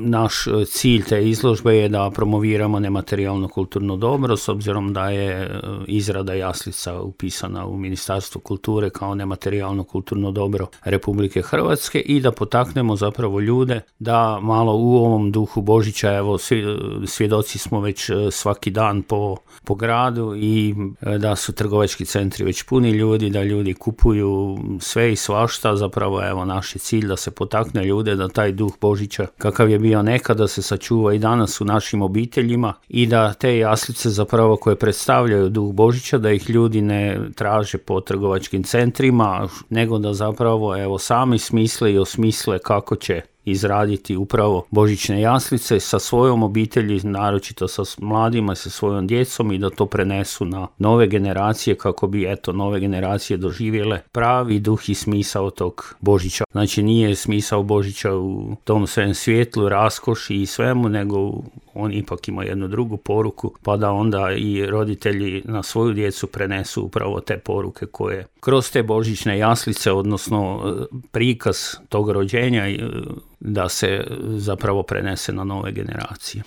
naš cilj te izložbe je da promoviramo nematerijalno kulturno dobro, s obzirom da je izrada jaslica upisana u Ministarstvo kulture kao nematerijalno kulturno dobro Republike Hrvatske i da potaknemo zapravo ljude da malo u ovom duhu Božića, evo svjedoci smo već svaki dan po gradu i da su trgovački centri već puni ljudi, da ljudi kupuju sve i svašta, zapravo evo naš je cilj da se potakne ljude da taj duh Božića kakav je bio nekada se sačuva i danas u našim obiteljima i da te jaslice zapravo koje predstavljaju duh Božića, da ih ljudi ne traže po trgovačkim centrima, nego da zapravo evo sami smisle i osmisle kako će izraditi upravo božićne jaslice sa svojom obitelji, naročito sa mladima, sa svojom djecom i da to prenesu na nove generacije kako bi nove generacije doživjele pravi duh i smisao tog Božića. Znači nije smisao Božića u tom svem svjetlu, raskoši i svemu, nego on ipak ima jednu drugu poruku, pa da onda i roditelji na svoju djecu prenesu upravo te poruke koje kroz te božićne jaslice, odnosno prikaz tog rođenja, da se zapravo prenese na nove generacije.